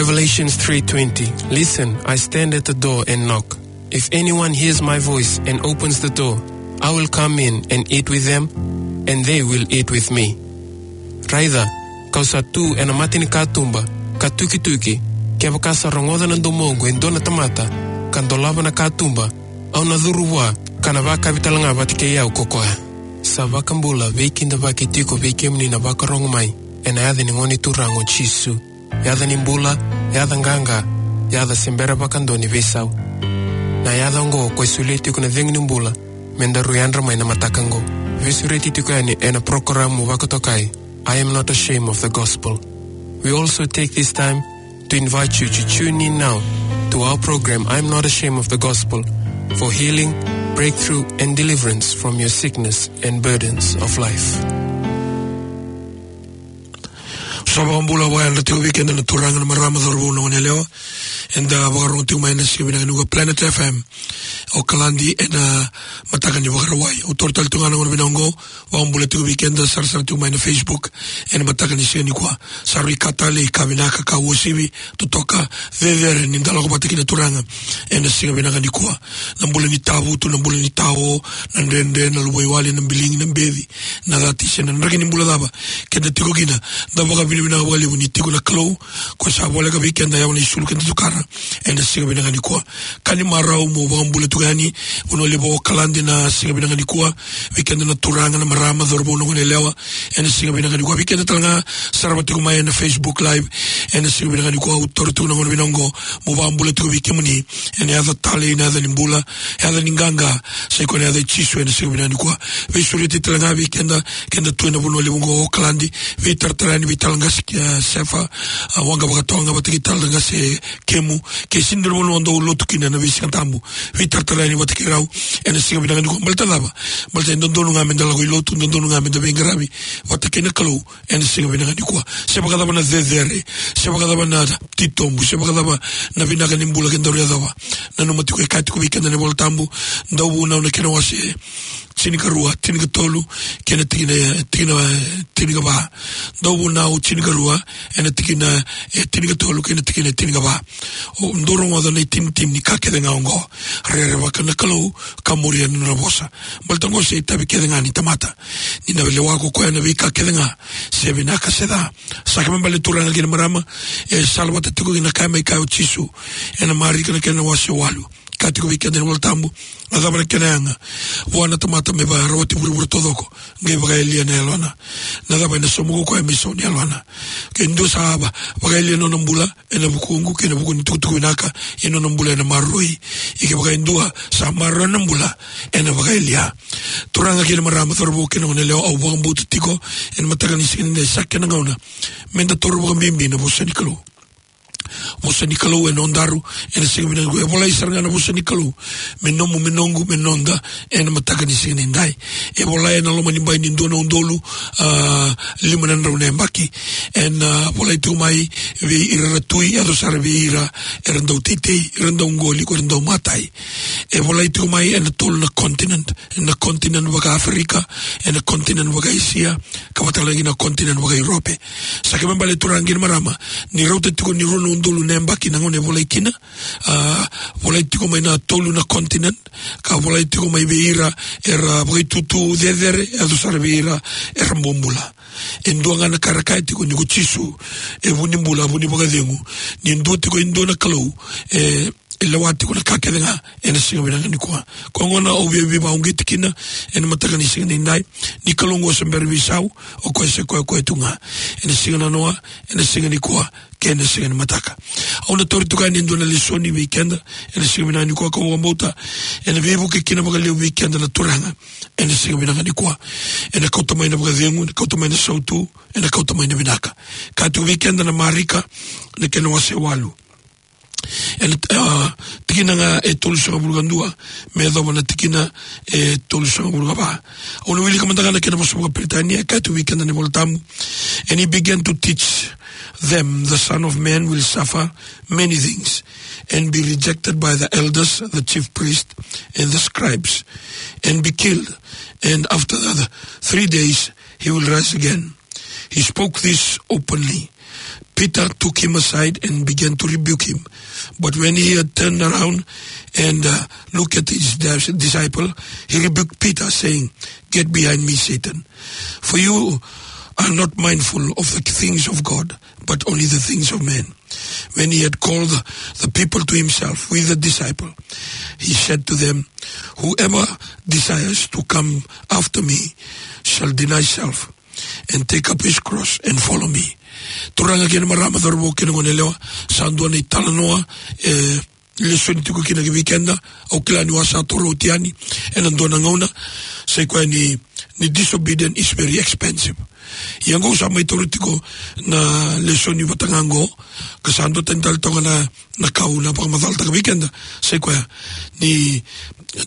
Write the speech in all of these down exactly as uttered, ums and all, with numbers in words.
Revelation three twenty. "Listen, I stand at the door and knock. If anyone hears my voice and opens the door, I will come in and eat with them, and they will eat with me." Raica, ka'u sa tu ena mata ni katuba, ka tukituki, kevaka sa rogoca na domoqu e dua na tamata, ka dolava na katuba, au na curu vua, ka na vakavi tale ga vata kei au ko koya. Sa vakabula, veikidavaki tiko vei kemuni na vakarogo mai ena yaca ni Gone Turaga o Jisu. Yaca ni bula, yaca qaqa, yaca se bera vakadua ni veisau. Na yaca oqo ko e solia tiko na cegu ni bula, me daru yadra mai na mataka oqo. Veisureti tiko yani ena porokaramu vakatokai, I Am Not Ashamed of the Gospel. We also take this time to invite you to tune in now to our program, I Am Not Ashamed of the Gospel, for healing, breakthrough, and deliverance from your sickness and burdens of life. Sa vakabula vakayadra tiko vei keda na turaga, na marama, cauravou, na goneyalewa. Eda vakarorogo tiko mai ena siga vinaka nikua Planet F M, Okaladi, ena mataka ni Vakarauwai. Au taura tale tiko ga na gauna vinaka oqo, vakabula tiko vei keda sarasara tiko mai na Facebook ena mataka ni siga nikua. Sa rui ka talei, ka vinaka, ka uasivi, totoka, cecere ni da lako vata kei na turaga ena siga vinaka nikua. Na bula ni tavutu, na bula ni tao, na dredre, na luvaiwale, na biligi, na beci, na cati, se na draki ni bula cava keda tiko kina, da vakavinavinaka vakalevu ni tiko na Kalou, ko sa voleka vei keda, yawa na isulu keda tukara ena siga vinaka nikua. Ka ni marau mo vakabula tiko yani, Vanua Levu o Okaladi, na siga vinaka nikua, vei keda na turaga, na marama, cauravou, na goneyalewa, ena siga vinaka nikua. Vei keda tale ga sarava tiko mai ena Facebook Live ena siga vinaka nikua, au taura tiko na gauna vinaka oqo mo vakabula tiko vei kemuni ena yaca talei, na yaca ni bula, yaca ni qaqa, sa i koya na yaca i Jisu ena siga vinaka nikua. Veisureti tale ga vei keda, keda tu ena Vanua Levu oqo o Okaladi, veitaratara yani vei Tala Qase, e, Sefa, a, Waqa Vakatoga vata kei Tala Qase, e, Kemu, ke sega ni dua na vanua dou lotu kina ena veisiga tabu, veitaratara yani vata kei rau ena siga vinaka nikua. Baleta cava? Baleta e dodonu ga meda lako i lotu, dodonu ga meda veiqaravi vata kei na Kalou ena siga vinaka nikua. Se vakacava na cecere, se vakacava na titobu, se vakacava na vinaka ni bula kedaru yacova, nanuma tiko e kaya tiko vei keda na iVola Tabu, Dauvunau na kena wase tinikarua, tinikatolu kei na tikina, tikina, tinikava. Dauvunau tinikarua, ena tikina, e, tinikatolu kei na tikina tinikava. O, dou rogoca na itinitini ni ka kece ga oqo. Rerevaka na Kalou, ka muria na nona vosa. Baleta oqo sa itavi kece ga ni tamata. Ni na lewa ko koya na veika kece ga, se vinaka se ca. Sa kena ibalebale, turaga kei na marama, e salavata tiko kina ka e mai kaya o Jisu ena Marika na kena wase walu. Kaya tiko vei keda na iVola Tabu, na cava na kena yaga vua na tamata me vakarawati vuravura taucoko, qai vakayalia na yalona? Na cava ena sauma ko koya me isau ni yalona? Ke dua sa va, vakayalia na nona bula ena vukuqu kei na vuku ni tukutuku vinaka, ia na nona bula ena maroroi. Ia kevaka e dua sa maroroya na bula, ena vakayalia. Turaga kei na marama, cauravou kei na goneyalewa, au vakabauta tiko ena mataka ni siga nikua sa kena gauna meda taura vakabibi na vosa ni Kalou. Vosa ni Kalou e nodaru ena siga vinaka nikua. E volai sara ga na vosa ni Kalou me nomu, me noqu, me noda ena mataka ni siga nidai. E volai ena loma ni bai ni dua na udolu, a, lima na drau na yabaki. Ena, a, volai tiko mai vei ira era tui, yaco sara vei ira era dau teitei, era dau qoli, ko era dau matai. E volai tiko mai ena tolu na continent, ena continent vaka-Aferika, ena continent vaka-Esia, ka vaka talega na continent vaka-Europe. Sa kena ibalebale, turaga kei na marama, ni rauta tiko ni rua na udolu na yabaki na gauna e volai kina, a, volai tiko mai na tolu na continent, ka volai tiko mai vei ira era vakaitutu cecere, yaco sara vei ira era bobula. E dua ga na ka era kaya tiko ni ko Jisu e vu ni bula, vu ni vakacegu. Ni dua tiko e dua na Kalou, e, e lewa tiko na ka kece ga ena siga vinaka nikua. Koya gona au via veivakauqeti kina ena mataka ni siga nidai, ni Kalou oqo sa bera ni veisau, o koya sa koya koya tu ga ena siga nanoa, ena siga nikua, kei na siga ni mataka. Au na tauri tiko yani e dua na lesoni vei keda ena siga vinaka nikua, kau vakabauta ena veivuke kina vakalevu vei keda na turaga ena siga vinaka nikua. Ena kauta mai na vakacegu, ena kauta mai na sautu, ena kauta mai na vinaka. Kaya tiko vei keda na Marika na kena wase walu, ena, a, tikina ga e tolusagavulu ka dua me yacova na tikina e tolusagavulu ka va. Au na wilika mada ga na kena vosa vakaPeritania, e kaya tiko vei keda na iVola Tabu: "And he began to teach them, 'The Son of Man will suffer many things and be rejected by the elders, the chief priests, and the scribes, and be killed, and after the three days he will rise again.'" He spoke this openly. Peter took him aside and began to rebuke him. But when he had turned around and, uh, looked at his dis-, disciple, he rebuked Peter, saying, "Get behind me, Satan. For you are not mindful of the things of God, but only the things of men." When he had called the people to himself with the disciple, he said to them, "Whoever desires to come after me shall deny self and take up his cross and follow me." Turaga kei na marama, cauravou kei na goneyalewa, sa dua na italanoa, e, lesoni tiko kina ki vei keda. Au kila ni au sa taura oti yani ena dua na gauna, sa i koya ni, ni disobedient is very expensive. Ia oqo au sa mai taura tiko na lesoni vata ga oqo, ka sa dua tani tale toka na, na ka au na vakamacalataka vei keda, sa i koya ni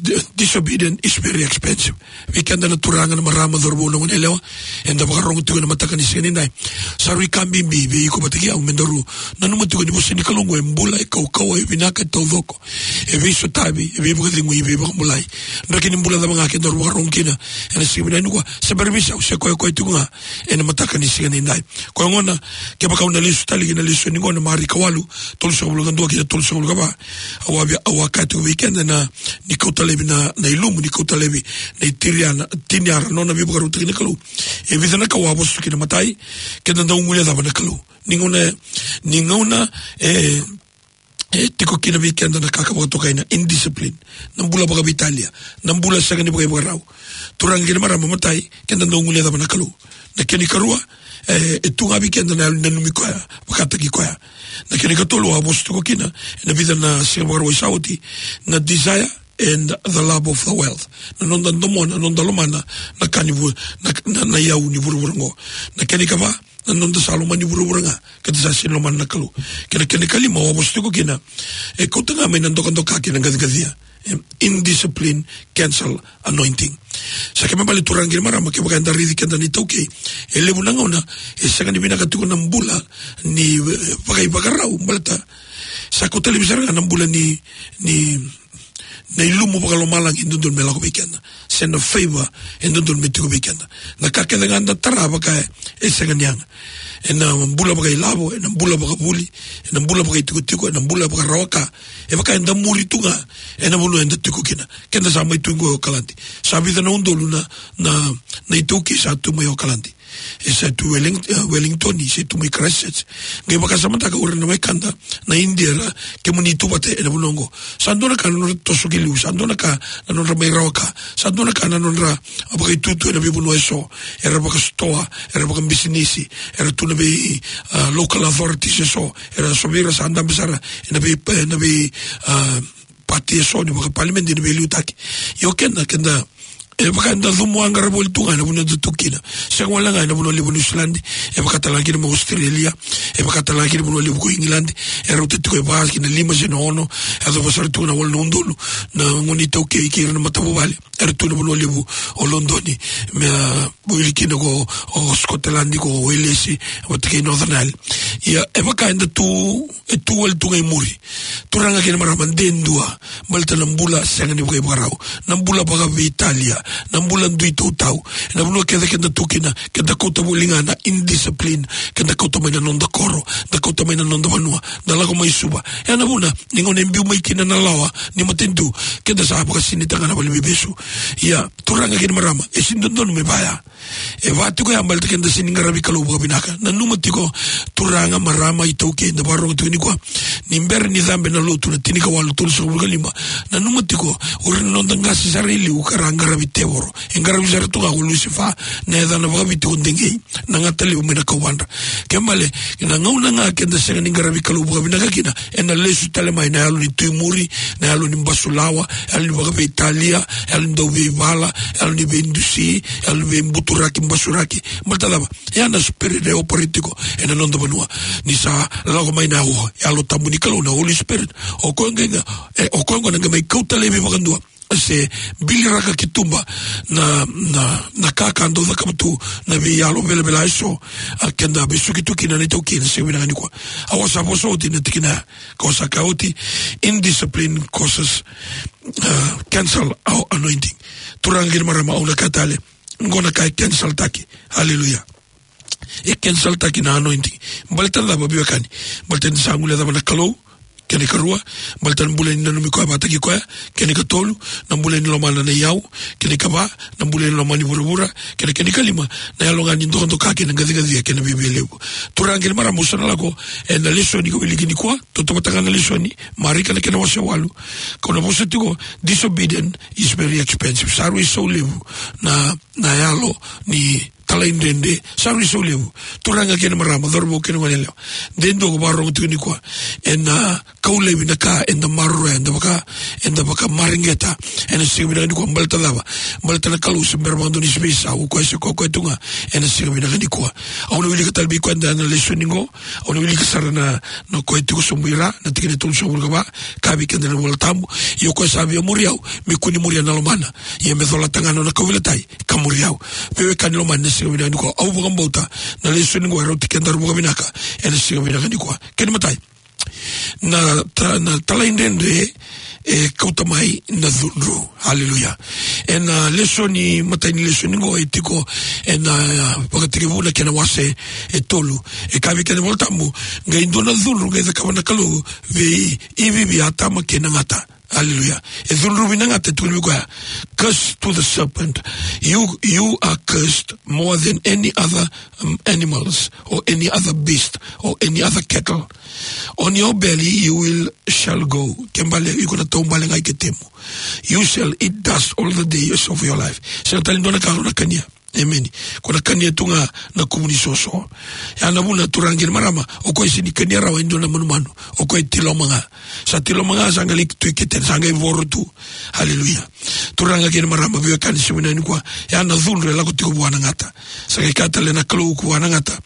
di-, disobedient is very expensive. Vei keda na turaga, na marama, cauravou, na goneyalewa, eda vakarogo tiko ena mataka ni siga nidai. Sa rui ka bibi vei iko vata kei au me daru nanuma tiko ni vosa ni Kalou oqo e bula, e kaukauwa, e vinaka, e taucoko, e veisotavi, e veivakacegui, e veivakabulai. Draki ni bula cava ga kedaru vakarogo kina ena siga vinaka nikua, se bera veisau, se koya koya tiko ga ena mataka ni siga nidai. Koya gona, kevaka au na lesu tale ki na lesoni oqo, na Marika walu, tolusagavulu ka dua ki na tolusagavulu ka va, au a via, au a kaya tiko vei keda na, ni kauta laivi na, na ilumu, ni kauta laivi na itiriana, tiniara, nona veivakarautaki na Kalou. E vica na ka au a vosa tu kina. Matai, keda dau guilecava na Kalou. Ni gauna, ni gauna, e, e tiko kina vei keda na ka ka vakatokai na indiscipline, na bula vakaveitalia, na bula sega ni vakaivakarau. Turaga kei na marama, matai, keda dau guilecava na Kalou. Na kena ikarua, e, e tu ga vei keda na yalo ni nanumi koya, vakataki koya. Na kena ikatolu au a vosa tiko kina ena vica na siga Vakarauwai sa oti, na desire and the love of the wealth. Na noda domona, na noda lomana na ka ni vu-, na, na, na iyau ni vuravura oqo. Na kena ikava, na noda sa lomani vuravura ga, keda sa sega ni lomana na Kalou. Kei na kena ikalima au a vosa tiko kina, e kauta ga mai na dokadoka kei na qaciqacia. Em, indiscipline cancel anointing. Sa kena ibalebale, turaga kei na marama, kevaka eda raici keda na iTaukei, e levu na gauna e sega ni vinaka tiko na bula ni, e, vakaivakarau, baleta sa kauta laivi sara ga na bula ni, ni, na ilumu vakalomalagi e dodonu me lako vei keda, se na favor e dodonu me tiko vei keda. Na ka kece ga eda tara vaka e, e sega ni yaga. Ena bula vakailavo, ena bula vakavuli, ena bula vakaitikotiko, ena bula vakarawa ka, e vaka eda muri tu ga ena vanua eda tiko kina. Keda sa mai tu oqo e Okaladi. Sa vica na udolu na, na, na iTaukei sa tu mai Okaladi. E sa tu Welling-, e, Wellington, e sa tu mai Christchurch. Qai vakasamataka o ira na wekada na India ra, kemuni tu vata ena vanua oqo. Sa dua na ka na nodra toso ki liu, sa dua na ka na nodra mai rawa ka, sa dua na ka na nodra vakaitutu ena veivanua eso. Era vakasitoa, era vakabisinisi, era tu na vei, a, local authorities eso, era so vei ira sa dabe sara ena vei, ena vei, a, pati eso ni vakapalimedi, ena veiliutaki. Io keda, keda, e vaka eda cumu a qara voli tu ga ena vanua eda tu kina. Sega wale ga ena vanua levu o Niusiladi, e vaka tale ga kina mai Australia, e vaka tale ga kina vanua levu ko Igiladi, e rauta tiko e va ki na lima se na ono, e yacova sara tu na walu na udolu na gone iTaukei kei ira na matavuvale era tu na vanua levu o Lodoni, me, a, wili kina ko, o Scotland, ko Welesi, vata kei Northern Ireland. Ia, e vaka eda tu, e tu wale tu ga i muri. Turaga kei na marama, de dua, baleta na bula sega ni vakaivakarau, na bula vakaveitalia, na bula dui tautau. Ena vanua kece keda tu kina, keda kauta voli ga na indiscipline, keda kauta mai na noda koro, da kauta mai na noda vanua, da lako mai Suva. E na vuna, ni gauna e biu mai kina na lawa ni matanitu, keda sa vakasinaita ga na valeniveivesu. Ia, turaga kei na marama, e sega ni dodonu me vaya. E va tiko ya baleta keda sega ni qaravi Kalou vakavinaka. Nanuma tiko, turaga, marama, iTaukei eda vakarorogo tiko nikua, ni bera ni cabe na lotu na tinikawalu tolusagavulu ka lima, nanuma tiko, o ira na noda qase sara e liu ka ra qaravi tevoro. E qaravi sara tu ga ko Lusifa, na yacana vakaviti ko Degei, na gata levu mai na kauvadra. Kena ibalebale, na gauna ga keda sega ni qaravi Kalou vakavinaka kina, ena lesu tale mai na yalo ni tu i muri, na yalo ni basulawa, yalo ni vakaveitalia, yalo ni dauveivala, yalo ni veidusi, yalo ni veibuturaki, basuraki. Baleta cava? Ya na spirit e operate tiko ena noda vanua. Ni sa lako mai na, o, Yalo Tabu ni Kalou, na Holy Spirit, o koya ga, e, o koya ga na qai mai kauta laivi vakadua, se biliraka ki tuba na, na, na ka ka dau cakava tu na veiyalo velavela eso, a, keda vesuki tu kina na iTaukei ena siga vinaka nikua. Au a sa vosa oti na tikina ya, kau sa kaya oti, indiscipline causes, a, cancel our anointing. Turaga kei na marama, au na kaya tale, oqo na ka e cancel taki. Hallelujah. E cancel-taki na anointing. Baleta na cava, veiwekani? Baleta ni sa guilecava na Kalou, kena ikarua. Baleta na bula ni nanumi koya vakataki koya, kena ikatolu. Na bula ni lomana na iyau, kena ikava. Na bula ni lomani vuravura, kena, kena ikalima. Na yalo ga ni dokadoka kei na qaciqacia kei na viavialevu. Turaga kei na marama, au sa na lako ena lesoni ka wiliki nikua. Tautauvata ga na lesoni, Marika na kena wase walu. Kau na vosa tiko, disobedient is very expensive. Sa rui sau levu na, na yalo ni talaidredre, sa rui sau levu. Turaga kei na marama, cauravou kei na goneyalewa. De dua ko vakarorogo tiko nikua ena kau laivi na ka eda maroroya, eda vaka, eda vakamareqeta ena siga vinaka nikua. Baleta na cava? Baleta na Kalou se bera vakadua ni se veisau, o koya se koya koya tu ga ena siga vinaka nikua. Au na wilika tale vei keda na lesoni qo. Au na wilika sara na, na koya tiko sobu i ra, na tikina e tolusagavulu ka va. Kaya vei keda na iVola Tabu: Ia o koya sa via muri au, me kua ni muria na lomana. Ia me colata ga na nona kauveilatai, ka muri au. Veiwekani lomani, na siga vinaka nikua, au vakabauta na lesoni qo e rauti kedaru vakavinaka ena siga vinaka nikua. Kena imatai, na ta-, na talaidredre e kauta mai na cudru. Haleluya. Ena lesoni, imatai ni lesoni qo e tiko ena, a, Vakatekivu na kena wase e tolu. E kaya vei keda na iVola Tabu: Qai dua na cudru qai cakava na Kalou vei Ivi, vei Atama kei na gata. Haleluya. E cudruvi na gata, e tukuni vei koya: Curse to the serpent. You, you are cursed more than any other, um, animals or any other beast or any other cattle. On your belly you will, shall go. Ke bale, iko na taubale ga i ketemu. You shall eat dust all the days of your life. Sega tale ni dua na ka o na kania. Emeni. Ko na kania tu ga na kuvu ni soso. Ya na vuna, turaga kei na marama, o koya e sega ni kania rawa e dua na manumanu. O koya e tiloma ga. Sa tiloma ga, sa qai lai tu i ketena, sa qai voro tu. Haleluya. Turaga kei na marama, veiwekani, siga vinaka nikua, ya na cudru e lako tiko vua na gata. Sa qai kaya tale na Kalou vua na gata: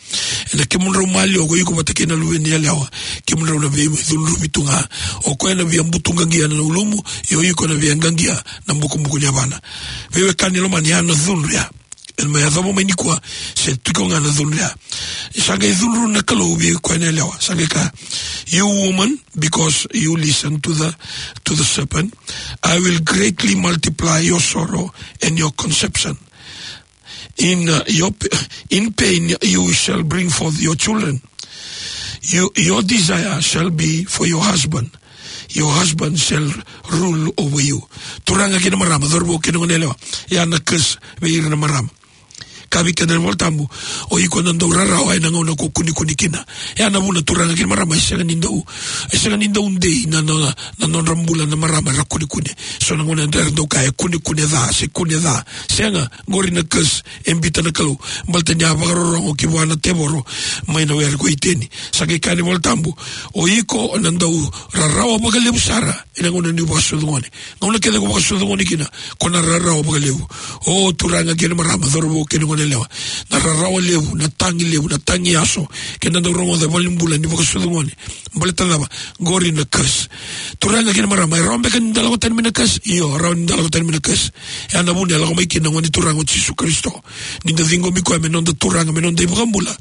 Ena kemudrau maliwa, o iko vata kei na luve ni yalewa, kemudrau na via cudruvi tu ga. O koya na via butuqaqia na ulumu, ia o iko na via qaqia na bukubuku ni yavana. Veiwekani lomani, ya na cudru ya. Ena mai yacova mai nikua, se tiko ga na cudru ya. Sa qai cudru na Kalou vei koya na yalewa, sa qai kaya: You woman, because you listen to the, to the serpent, I will greatly multiply your sorrow and your conception. In, uh, your p-, in pain you shall bring forth your children. You, your desire shall be for your husband. Your husband shall rule over you. Turaga kei na marama, cauravou kei na goneyalewa, ya na curse vei ira na marama. Kaya vei keda na iVola Tabu: O iko na dau rarawa ena gauna ko kunekune kina. Ya na vuna, turaga kei na marama, e sega ni dau, e sega ni dau dei na, na, na nodra bula na marama era kunekune. So na gauna era dau kaya e kunekune ca, se kune ca. Sega, qori na curse e biuta na Kalou. Baleta ni a vakarorogo ki vua na tevoro mai na were ko Iteni. Sa qai kaya na iVola Tabu: O iko na dau rarawa vakalevu sara ena gauna ni vakasucu gone. Gauna kece ko vakasucu gone kina, ko na rarawa vakalevu. O turaga kei na marama, cauravou kei na goneyalewa, na rarawa levu, na tagi levu, na tagi yaso, keda dau rogoca e valenibula ni vakasucu gone. Baleta na cava? Qori na curse. Turaga kei na marama, e rawa beka ni da lako tani mai na curse? Io, rawa ni da lako tani mai na curse. Ya na vuna e lako mai kina na Gone Turaga o Jisu Karisito. Ni da ciqomi koya me noda Turaga, me noda iVakabula,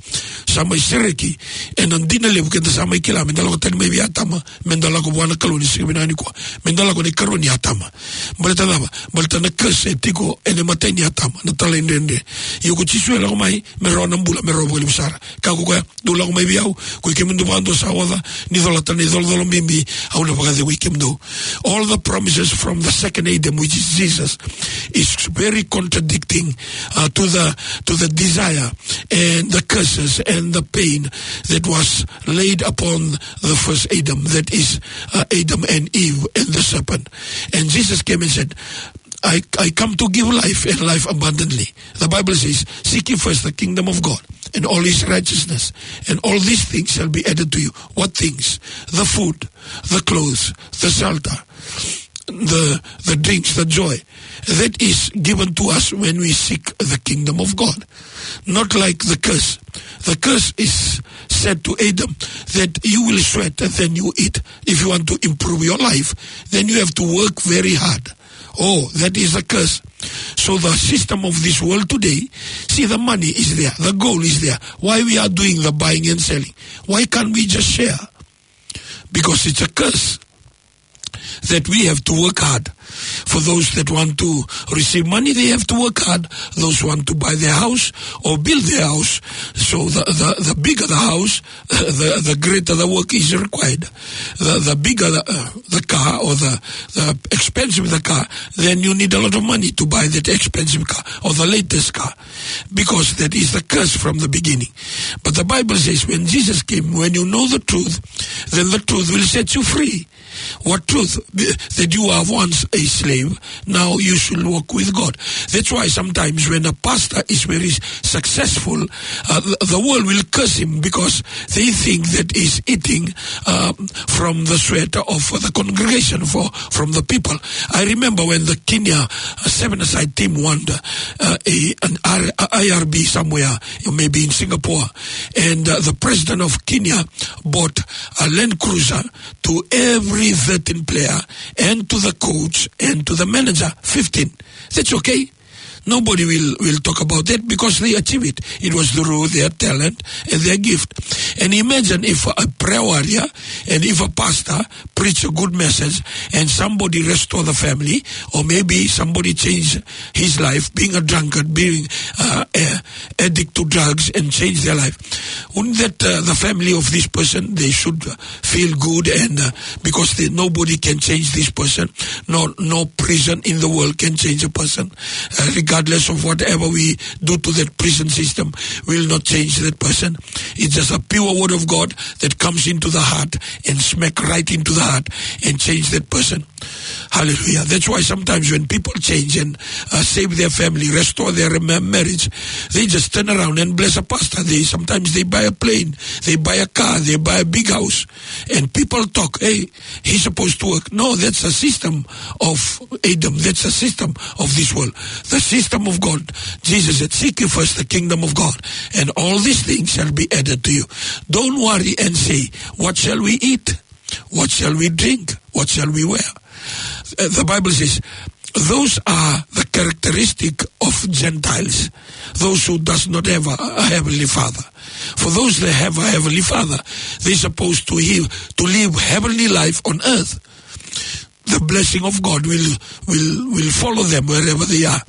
sa mai sereki ena dina levu keda sa mai kila me da lako tani mai vei Atama, me da lako vua na Kalou ni siga vinaka nikua, me da lako na ikarua ni Atama. Baleta na cava? Baleta na curse e tiko ena imatai ni Atama, na talaidredre. Ia ko Jisu e lako mai me rawa na bula, me rawa vakalevu sara. Kaya ko koya: Dou lako mai vei au, koi kemudou vakadua sa oca, ni colata na icolacola bibi, au na vakacegui kemudou. All the promises from the second Adam, which is Jesus, is very contradicting, uh, to the, to the desire and the curses and the pain that was laid upon the first Adam, that is, uh, Adam and Eve and the serpent. And Jesus came and said, I, I come to give life and life abundantly. The Bible says, "Seek ye first the kingdom of God and all his righteousness, and all these things shall be added to you." What things? The food, the clothes, the shelter, the, the drinks, the joy. That is given to us when we seek the kingdom of God. Not like the curse. The curse is said to Adam that you will sweat and then you eat. If you want to improve your life, then you have to work very hard. Oh, that is a curse. So the system of this world today, see, the money is there, the gold is there. Why we are doing the buying and selling? Why can't we just share? Because it's a curse that we have to work hard. For those that want to receive money, they have to work hard. Those who want to buy their house or build their house, so the, the, the bigger the house, the, the greater the work is required. The, the bigger the, uh, the car, or the, the expensive the car, then you need a lot of money to buy that expensive car or the latest car, because that is the curse from the beginning. But the Bible says, when Jesus came, when you know the truth, then the truth will set you free. What truth? That you are once a slave, now you should walk with God. That's why sometimes when a pastor is very successful, uh, the, the world will curse him, because they think that he's eating, um, from the sweat of the congregation, for, from the people. I remember when the Kenya, uh, seven-a-side team won, uh, a, an R, a I R B somewhere, maybe in Singapore, and, uh, the president of Kenya bought a Land Cruiser to every thirteen player and to the coach and to the manager, fifteen. That's okay. Nobody will, will talk about that because they achieve it. It was through their talent and their gift. And imagine if a prayer warrior and if a pastor preach a good message and somebody restore the family, or maybe somebody change his life, being a drunkard, being, uh, a addict to drugs, and change their life. Wouldn't that, uh, the family of this person, they should, uh, feel good, and, uh, because they, nobody can change this person, no, no prison in the world can change a person, uh, regardless of whatever we do to that prison system, will not change that person. It's just a pure word of God that comes into the heart and smack right into the heart and change that person. Hallelujah. That's why sometimes when people change and, uh, save their family, restore their ma-, marriage, they just turn around and bless a pastor. They, sometimes they buy a plane, they buy a car, they buy a big house. And people talk, "Hey, he's supposed to work." No, that's the system of Adam. That's the system of this world. The system of God. Jesus said, "Seek ye first the kingdom of God, and all these things shall be added to you." Don't worry and say, "What shall we eat? What shall we drink? What shall we wear?" Uh, the Bible says, those are the characteristic of Gentiles, those who does not have a, a heavenly Father. For those that have a heavenly Father, they supposed to he-, to live heavenly life on earth. The blessing of God will, will, will follow them wherever they are.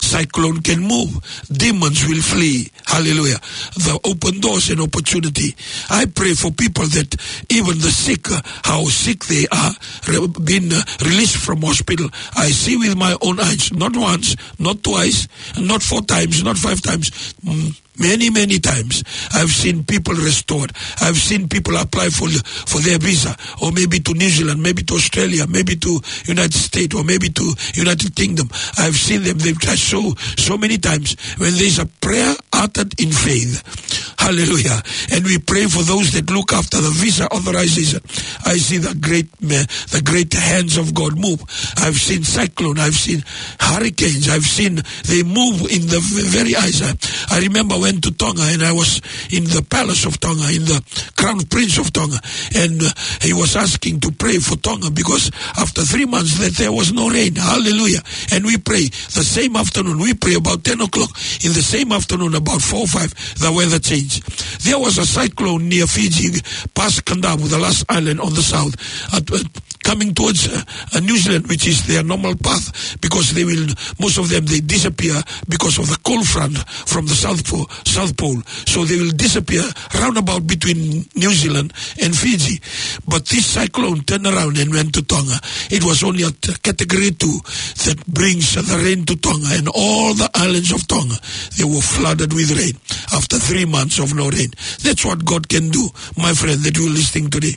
Cyclone can move, demons will flee. Hallelujah. The open doors and opportunity. I pray for people that even the sick, uh, how sick they are, re-, been, uh, released from hospital. I see with my own eyes, not once, not twice, not four times, not five times. Mm, many, many times. I've seen people restored. I've seen people apply for, for their visa, or maybe to New Zealand, maybe to Australia, maybe to United States, or maybe to United Kingdom. I've seen them. They've touched so, so many times when there's a prayer uttered in faith. Hallelujah. And we pray for those that look after the visa authorization. I see the great ma-, the great hands of God move. I've seen cyclone. I've seen hurricanes. I've seen they move in the v-, very eyes. I, I remember I went to Tonga and I was in the palace of Tonga, in the Crown Prince of Tonga, and, uh, he was asking to pray for Tonga because after three months that there was no rain. Hallelujah. And we pray the same afternoon. We pray about ten o'clock. In the same afternoon, about four or five, the weather changed. There was a cyclone near Fiji, past Kadavu, the last island on the south, at, at coming towards, uh, uh, New Zealand, which is their normal path, because they will, most of them, they disappear because of the cold front from the South Pole, South Pole. So they will disappear roundabout between New Zealand and Fiji. But this cyclone turned around and went to Tonga. It was only a t-, category two that brings the rain to Tonga, and all the islands of Tonga, they were flooded with rain after three months of no rain. That's what God can do, my friend, that you're listening today.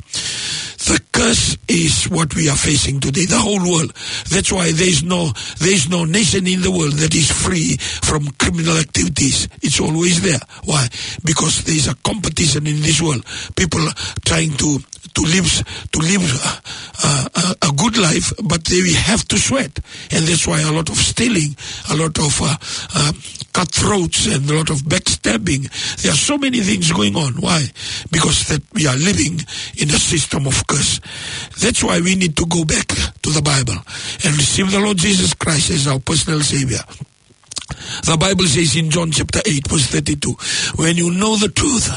The curse is what we are facing today, the whole world. That's why there is no, there is no nation in the world that is free from criminal activities. It's always there. Why? Because there is a competition in this world. People are trying to, to live, to live, uh, uh, a, a good life, but they have to sweat. And that's why a lot of stealing, a lot of, uh, uh, cutthroats, and a lot of backstabbing. There are so many things going on. Why? Because that we are living in a system of curse. That's why we need to go back to the Bible and receive the Lord Jesus Christ as our personal Savior. The Bible says in John chapter eight, verse thirty-two, "When you know the truth,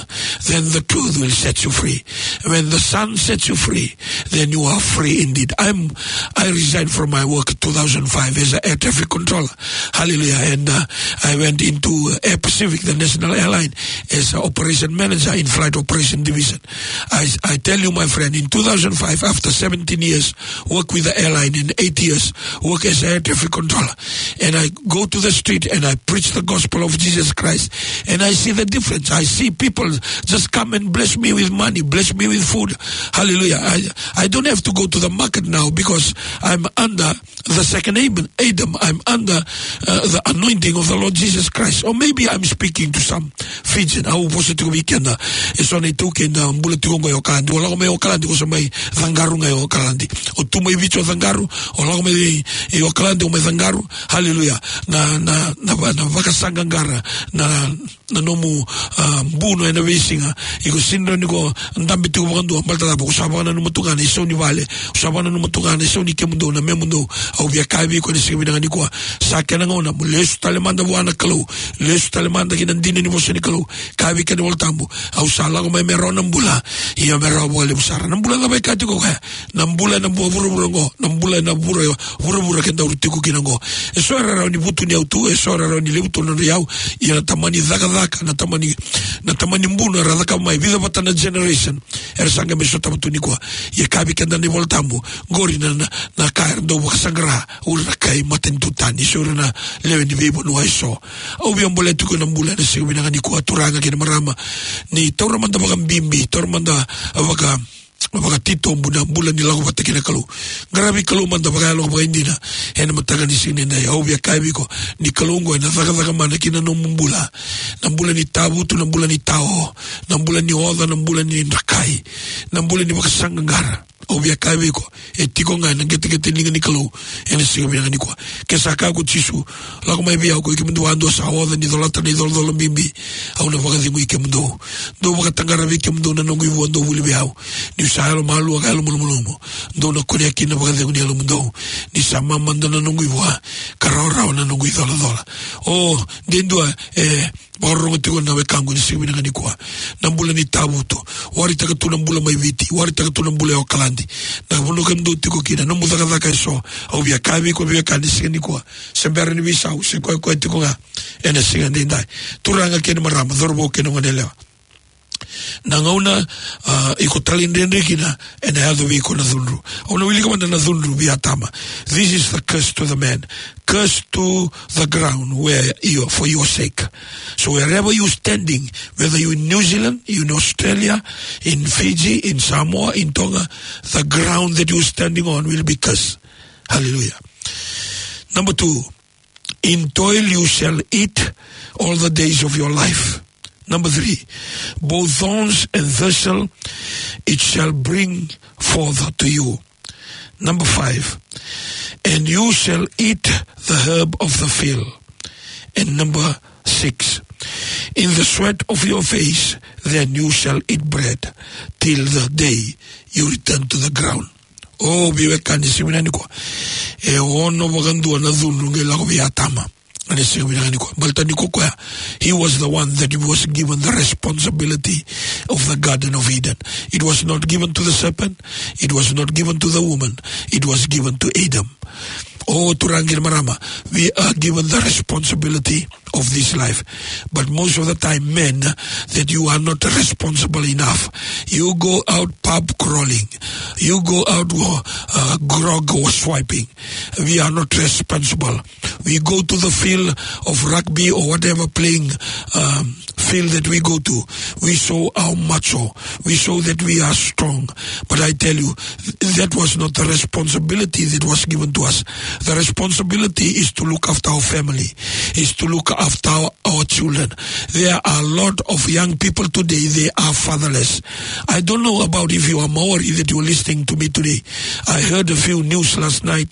then the truth will set you free." When the Son sets you free, then you are free indeed. I'm, I resigned from my work two thousand five as a air traffic controller. Hallelujah. And, uh, I went into, uh, Air Pacific, the national airline, as an operation manager in flight operation division. I, I tell you, my friend, in two thousand five, after seventeen years, work with the airline, in eight years, work as air traffic controller. And I go to the street and I preach the gospel of Jesus Christ. And I see the difference. I see people just come and bless me with money, bless me with food. Hallelujah. I, I don't have to go to the market now because I'm under the second Adam. Adam. I'm under, uh, the anointing of the Lord Jesus Christ. Or maybe I'm speaking to some Fijian. Au vosa tiko vei keda eso na iTaukei da bula tiko qo e Okaladi. O lako mai Okaladi, o sa mai caqaru ga e Okaladi. O tu mai Viti o caqaru, o lako mai e Okaladi o mai caqaru. Hallelujah. Na, na, na, na vakasaqaqara, na, na nomu, ah, buno ena veisiga. Iko sega ni rawa ni ko dabe tiko vakadua, baleta cava? Ko sa vakananuma tu ga na isau ni vale, ko sa vakananuma tu ga na isau ni kemudou, na memudou. Au via kaya vei iko ena siga vinaka nikua, sa kena gauna mo lesu tale mada vua na Kalou, lesu tale mada ki na dina ni vosa ni Kalou. Kaya vei keda na iVolatabu, au sa lako mai me rawa na bula, ia me rawa vakalevu sara. Na bula cava e kaya tiko o koya? Na bula ena vuravura oqo, na bula ena vura, vuravura kedaru tiko kina oqo. Eso era rawa ni vutuniyau tu, eso era rawa ni levu tu na nodra iyau. Ia na tamani cakacaka, na tamani, na tamani buno era cakava mai, vica vata na generation era sa qai mai sotava tu nikua. Ia kaya vei keda na iVolatabu, qori na, na, na ka era dau vakasaqara o ira na kai matanitu tani, so ira na lewe ni veivanua eso. Au via bolea tiko na bula ena siga vinaka nikua, turaga kei na marama, ni taura mada vakabibi, taura mada vaka, vakatitobu na bula ni lako vata kei na Kalou. Qaravi Kalou mada vakayalo vakaidina ena mataka ni siga nidai. Au via kaya vei iko, ni Kalou oqo ena cakacaka mana ki na nomu bula. Na bula ni tavutu, na bula ni tao, na bula ni oca, na bula ni drakai, na bula ni vakasaqaqara. Au via kaya vei iko, e tiko ga ena qeteqete ni liga ni Kalou ena siga vinaka nikua. Ke sa kaya ko Jisu, lako mai vei au ko i kemudou vakadua sa oca ni colata na icolacola bibi, au na vakacegui kemudou. Dou vakataqara vei kemudou na noqu ivua, dou vuli vei au. Niu sa yalomalua ka yalomalumalumu, dou na kunea kina na vakacegu ni yalomudou. Ni sa mamada na noqu ivua, ka rawarawa na noqu icolacola. O, de dua e vakarorogo tiko na wekaqu ena siga vinaka nikua. Na bula ni tavutu. Waritaka tu na bula mai Viti, waritaka tu na bula e Okaladi, na vanua kemudou tiko kina, nomu cakacaka eso. Au via kaya vei iko, via kaya ena siga nikua, se bera ni veisau, se koya koya tiko ga ena siga daidai. Turaga kei na marama, cauravou kei na goneyalewa, na gauna, ah, iko talaidredre kina, ena yaco vei iko na cudru. Au na wilika mada na cudru vei Atama. This is the curse to the man. Curse to the ground where you, for your sake. So wherever you standing, whether you in New Zealand, you in Australia, in Fiji, in Samoa, in Tonga, the ground that you standing on will be cursed. Hallelujah. Number two, in toil you shall eat all the days of your life. Number three, both thorns and thistle it shall bring forth to you. Number five, and you shall eat the herb of the field. And number six, in the sweat of your face, then you shall eat bread till the day you return to the ground. O, veiwekani, siga vinaka nikua. E ono vakadua na cudru qai lako vei Atama ena siga vinaka nikua. Baleta ni ko koya, he was the one that was given the responsibility of the Garden of Eden. It was not given to the serpent. It was not given to the woman. It was given to Adam. O turaga kei na marama, we are given the responsibility of this life. But most of the time, men, that you are not responsible enough. You go out pub crawling. You go out, uh, grog swiping. We are not responsible. We go to the field of rugby or whatever playing, um, field that we go to. We show our macho. We show that we are strong. But I tell you, th-, that was not the responsibility that was given to us. The responsibility is to look after our family, is to look after our, our children. There are a lot of young people today, they are fatherless. I don't know about if you are Maori that you are listening to me today. I heard a few news last night,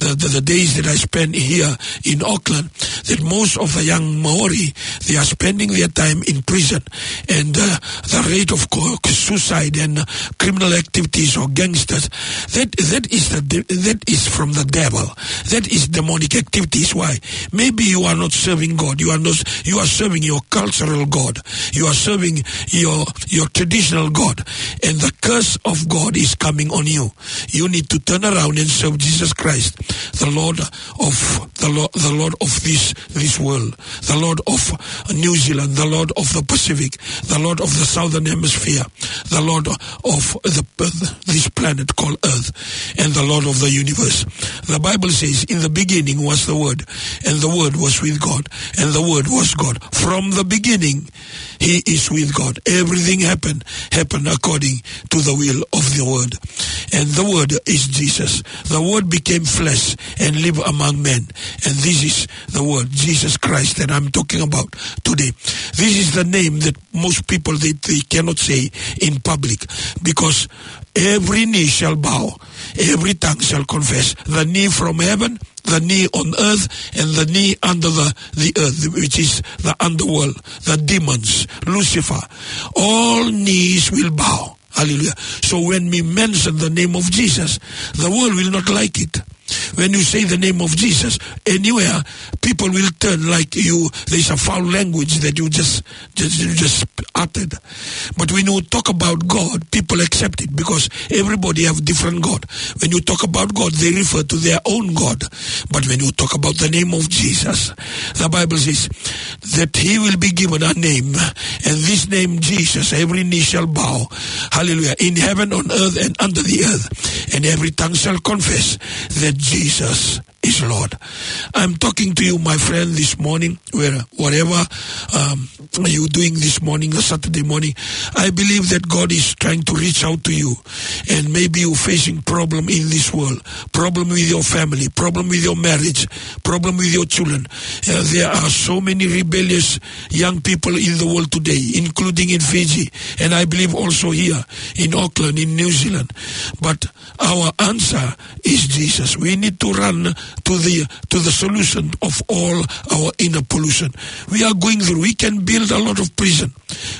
the, the, the days that I spent here in Auckland, that most of the young Maori, they are spending their time in prison. And, uh, the rate of co-, suicide and, uh, criminal activities or gangsters, that, that is the de-, that is from the devil. That is demonic activities. Why? Maybe you are not serving God. You are not, You are serving your cultural god. You are serving your, your traditional god. And the curse of God is coming on you. You need to turn around and serve Jesus Christ, the Lord of the Lord, the Lord of this, this world, the Lord of New Zealand, the Lord of the Pacific, the Lord of the Southern Hemisphere, the Lord of the, this planet called Earth, and the Lord of the universe. The Bible says, "In the beginning was the Word, and the Word was with God, and the Word was God." From the beginning, He is with God. Everything happened, happened according to the will of the Word. And the Word is Jesus. The Word became flesh and lived among men. And this is the Word, Jesus Christ, that I'm talking about today. This is the name that most people, they, they cannot say in public, because every knee shall bow, every tongue shall confess, the knee from heaven, the knee on earth, and the knee under the, the earth, which is the underworld, the demons, Lucifer. All knees will bow. Hallelujah. So when we mention the name of Jesus, the world will not like it. When you say the name of Jesus anywhere, people will turn like you, there's a foul language that you just, just, you just uttered. But when you talk about God, people accept it because everybody have different God. When you talk about God, they refer to their own God. But when you talk about the name of Jesus, the Bible says that He will be given a name, and this name Jesus, every knee shall bow. Hallelujah. In heaven, on earth, and under the earth, and every tongue shall confess that Jesus is Lord. I'm talking to you, my friend, this morning, where, whatever, um, you're doing this morning, a Saturday morning. I believe that God is trying to reach out to you, and maybe you're facing problem in this world, problem with your family, problem with your marriage, problem with your children. Uh, there are so many rebellious young people in the world today, including in Fiji, and I believe also here in Auckland, in New Zealand. But our answer is Jesus. We need to run to the, to the solution of all our inner pollution. We are going through, we can build a lot of prison.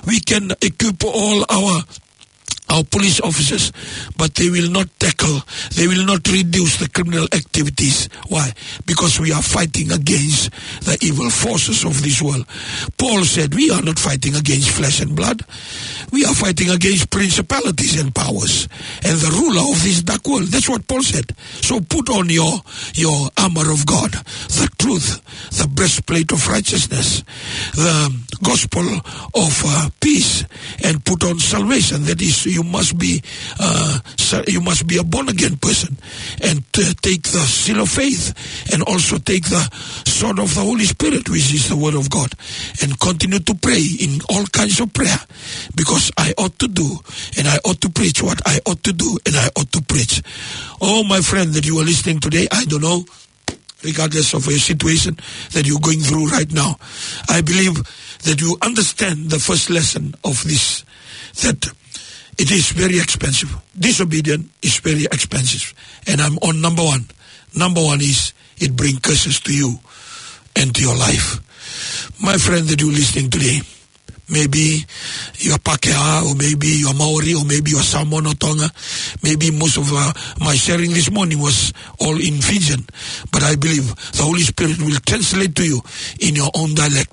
We can equip all our, our police officers, but they will not tackle, they will not reduce the criminal activities. Why? Because we are fighting against the evil forces of this world. Paul said, "We are not fighting against flesh and blood. We are fighting against principalities and powers and the ruler of this dark world." That's what Paul said. So put on your, your armor of God, the truth, the breastplate of righteousness, the gospel of, uh, peace, and put on salvation. That is, you must be, uh, sa-, you must be a born again person, and, uh, take the seal of faith, and also take the sword of the Holy Spirit, which is the word of God, and continue to pray in all kinds of prayer, because I ought to do, and I ought to preach what I ought to do, and I ought to preach. Oh, my friend, that you are listening today, I don't know, regardless of your situation that you're going through right now, I believe that you understand the first lesson of this, that it is very expensive. Disobedience is very expensive. And I'm on number one. Number one is it brings curses to you and to your life. My friend that you're listening today, maybe you are Pākehā, or maybe you are Maori, or maybe you are Samoan or Tonga. Maybe most of, uh, my sharing this morning was all in Fijian. But I believe the Holy Spirit will translate to you in your own dialect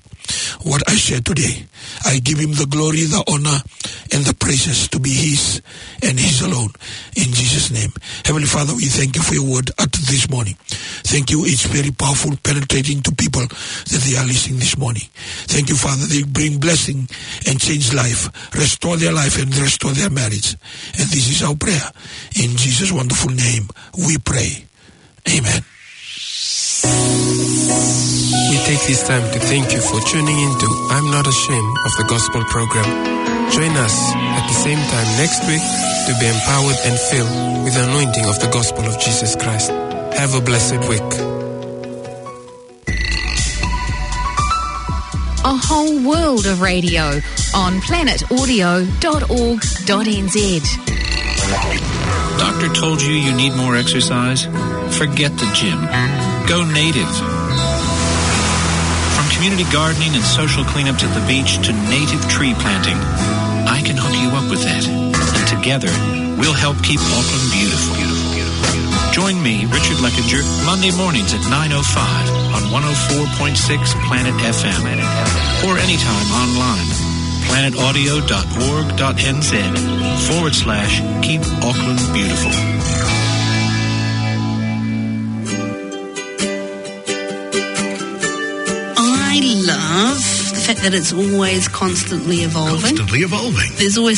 what I share today. I give Him the glory, the honor, and the praises to be His and His alone. In Jesus' name. Heavenly Father, we thank you for your word at this morning. Thank you. It's very powerful, penetrating to people that they are listening this morning. Thank you, Father. They bring blessing and change life, restore their life and restore their marriage. And this is our prayer. In Jesus' wonderful name, we pray. Amen. We take this time to thank you for tuning in to I'm Not Ashamed of the Gospel program. Join us at the same time next week to be empowered and filled with the anointing of the gospel of Jesus Christ. Have a blessed week. A whole world of radio on planet audio dot org dot N Z. Doctor told you you need more exercise? Forget the gym. Go native. From community gardening and social cleanups at the beach to native tree planting, I can hook you up with that. And together, we'll help keep Auckland beautiful. Join me, Richard Leckinger, Monday mornings at nine oh five on one oh four point six Planet F M, or anytime online, planet audio dot org dot N Z forward slash keep Auckland beautiful. I love the fact that it's always constantly evolving. Constantly evolving. There's always